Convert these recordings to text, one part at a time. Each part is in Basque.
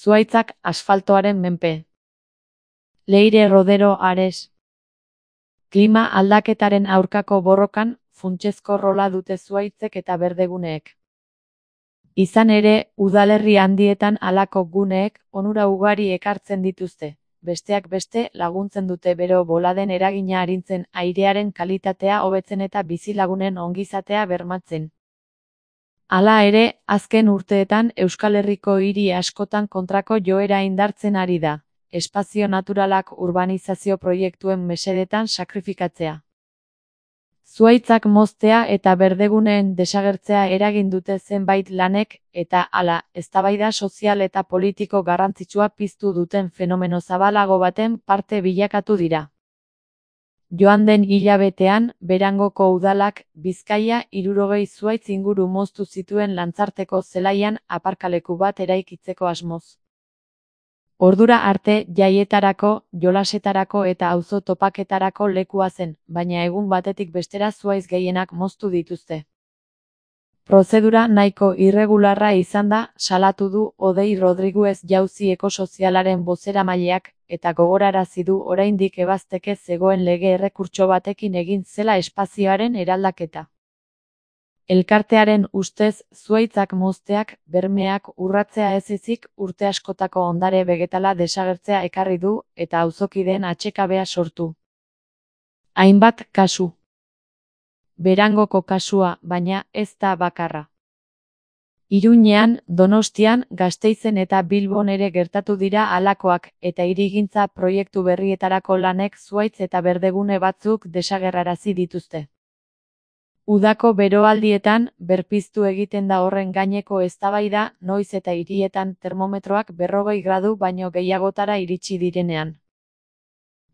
Zuhaitzak asfaltoaren menpe. Leire Rodero Ares. Klima aldaketaren aurkako borrokan, funtsezko rola dute zuhaitzek eta berdeguneek. Izan ere, udalerri handietan halako guneek onura ugari ekartzen dituzte. Besteak beste laguntzen dute bero boladen eragina arintzen, airearen kalitatea hobetzen eta bizilagunen ongizatea bermatzen. Hala ere, azken urteetan Euskal Herriko hiri askotan kontrako joera indartzen ari da, espazio naturalak urbanizazio proiektuen mesedetan sakrifikatzea. Zuhaitzak moztea eta berdeguneen desagertzea eragin dute zenbait lanek, eta hala, eztabaida sozial eta politiko garrantzitsua piztu duten fenomeno zabalago baten parte bilakatu dira. Joan den hilabetean, Berangoko udalak, Bizkaia 60 zuhaitz inguru moztu zituen Lantzarteko zelaian aparkaleku bat eraikitzeko asmoz. Ordura arte jaietarako, jolasetarako eta auzo topaketarako lekua zen, baina egun batetik bestera zuhaitz gehienak moztu dituzte. Prozedura nahiko irregularra izan da, salatu du Odei Rodriguez jauzi ekosozialaren bozeramaileak, eta gogorarazi du oraindik ebazteke zegoen lege errekurtso batekin egin zela espazioaren eraldaketa. Elkartearen ustez, zuhaitzak mozteak, bermeak urratzea ez ezik urte askotako ondare begetala desagertzea ekarri du eta auzokideen atsekabea sortu. Hainbat kasu. Berangoko kasua, baina ez da bakarra. Iruñean, Donostian, Gasteizen eta Bilbon ere gertatu dira halakoak, eta hirigintza proiektu berrietarako lanek zuhaitz eta berdegune batzuk desagerrarazi dituzte. Udako beroaldietan, berpiztu egiten da horren gaineko eztabaida, noiz eta hirietan termometroak 40 gradu baino gehiagotara iritsi direnean.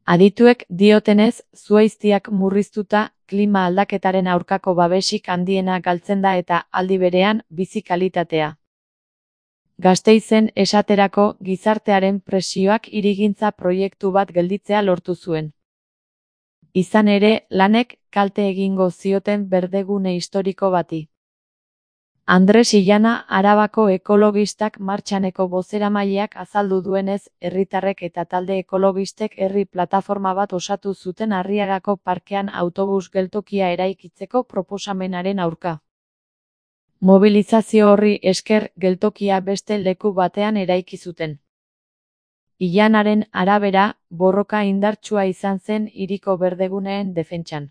Adituek diotenez, zuhaiztiak murriztuta, klima aldaketaren aurkako babesik handiena galtzen da eta aldi berean bizi kalitatea. Gasteizen esaterako gizartearen presioak hirigintza proiektu bat gelditzea lortu zuen. Izan ere, lanek kalte egingo zioten berdegune historiko bati. Andres Illana Arabako ekologistak martxaneko bozeramaileak azaldu duenez, herritarrek eta talde ekologistek herri plataforma bat osatu zuten Arriagako parkean autobus geltokia eraikitzeko proposamenaren aurka. Mobilizazio horri esker geltokia beste leku batean eraiki zuten. Illanaren arabera, borroka indartsua izan zen hiriko berdeguneen defentsan.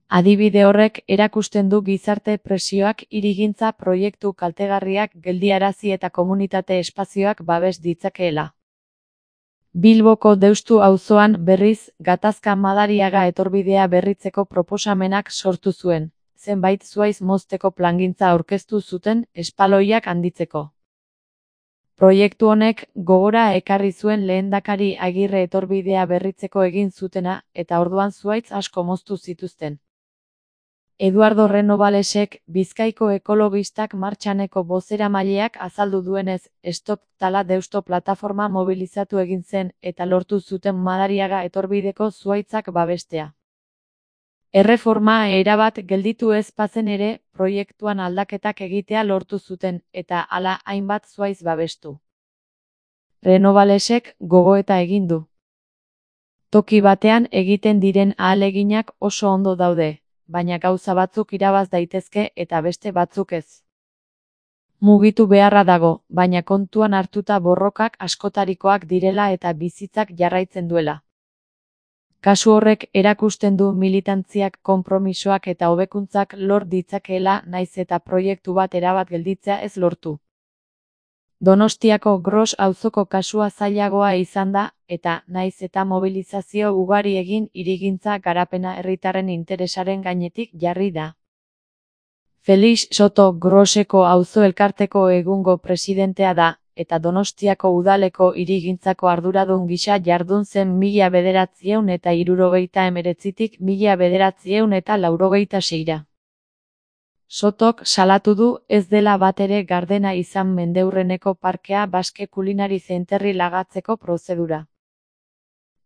Adibide horrek erakusten du gizarte presioak hirigintza proiektu kaltegarriak geldiarazi eta komunitate espazioak babes ditzakeela. Bilboko Deustu auzoan berriz, gatazka Madariaga etorbidea berritzeko proposamenak sortu zuen, zenbait zuhaiz mozteko plangintza aurkeztu zuten espaloiak handitzeko. Proiektu honek gogora ekarri zuen lehendakari Agirre etorbidea berritzeko egin zutena, eta orduan zuhaitz asko moztu zituzten. Eduardo Renovalesek, Bizkaiko ekologistak martxaneko bozeramaileak azaldu duenez, Stop Tala Deusto plataforma mobilizatu egin zen eta lortu zuten Madariaga etorbideko zuhaitzak babestea. Erreforma erabat gelditu ez bazen ere, proiektuan aldaketak egitea lortu zuten eta hala hainbat zuhaitz babestu. Renovalesek gogoeta egin du. Toki batean egiten diren ahaleginak oso ondo daude, baina gauza batzuk irabaz daitezke eta beste batzuk ez. Mugitu beharra dago, baina kontuan hartuta borrokak askotarikoak direla eta bizitzak jarraitzen duela. Kasu horrek erakusten du militantziak konpromisoak eta hobekuntzak lor ditzakeela naiz eta proiektu bat erabat gelditzea ez lortu. Donostiako Gros auzoko kasua zailagoa izan da, eta naiz eta mobilizazio ugari egin hirigintza garapena herritarren interesaren gainetik jarri da. Felix Soto Groseko auzo elkarteko egungo presidentea da, eta Donostiako udaleko hirigintzako arduradun gisa jardun zen 1979tik 1986ra. Sotok salatu du ez dela batere gardena izan mendeurreneko parkea Baske Kulinari Zenterri lagatzeko prozedura.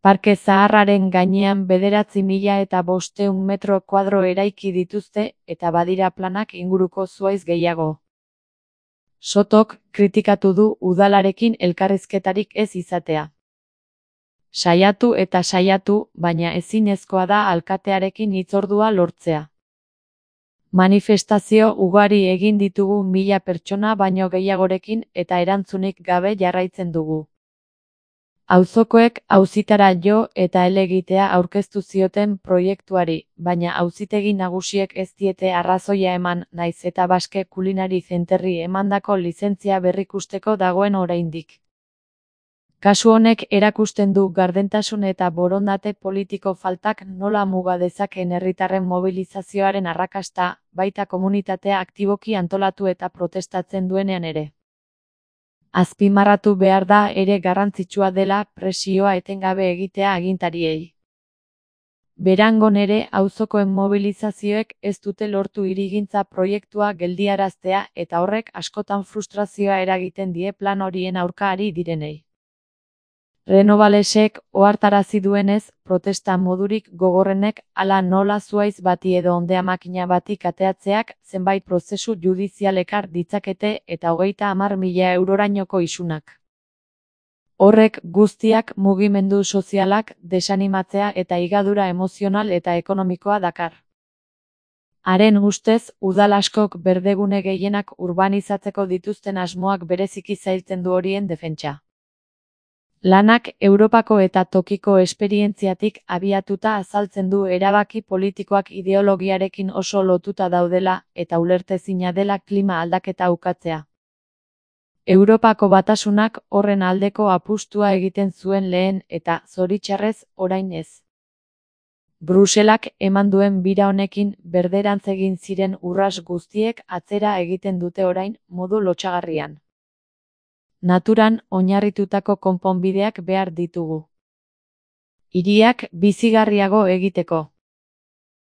Parke zaharraren gainean 9.500 metro kuadro eraiki dituzte eta badira planak inguruko zuhaiz gehiago. Sotok kritikatu du udalarekin elkarrizketarik ez izatea. Saiatu eta saiatu, baina ezinezkoa da alkatearekin hitzordua lortzea. Manifestazio ugari egin ditugu 1000 pertsona baino gehiagorekin eta erantzunik gabe jarraitzen dugu. Auzokoek auzitara jo eta helegitea aurkeztu zioten proiektuari, baina auzitegi nagusiek ez diete arrazoia eman, naiz eta Basque Culinary Centerri emandako lizentzia berrikusteko dagoen oraindik. Kasu honek erakusten du gardentasun eta borondate politiko faltak nola muga dezakeen herritarren mobilizazioaren arrakasta, baita komunitatea aktiboki antolatu eta protestatzen duenean ere. Azpimarratu behar da ere garrantzitsua dela presioa etengabe egitea agintariei. Berangon ere auzokoen mobilizazioek ez dute lortu hirigintza proiektua geldiaraztea eta horrek askotan frustrazioa eragiten die plan horien aurka ari direnei. Renovalesek ohartarazi duenez, protesta modurik gogorrenek hala nola zuhaitz bati edo ondea makina bati kateatzeak zenbait prozesu judizial ekar ditzakete eta 30.000 eurorainoko isunak. Horrek guztiak mugimendu sozialak desanimatzea eta higadura emozional eta ekonomikoa dakar. Haren ustez, udal askok berdegune gehienak urbanizatzeko dituzten asmoak bereziki zailtzen du horien defentsa. Lanak Europako eta tokiko esperientziatik abiatuta azaltzen du erabaki politikoak ideologiarekin oso lotuta daudela eta ulertezina dela klima aldaketa ukatzea. Europako Batasunak horren aldeko apustua egiten zuen lehen eta, zoritxarrez, orain ez. Bruselak eman duen bira honekin berderantz egin ziren urras guztiek atzera egiten dute orain, modu lotsagarrian. Naturan oinarritutako konponbideak behar ditugu. Hiriak bizigarriago egiteko.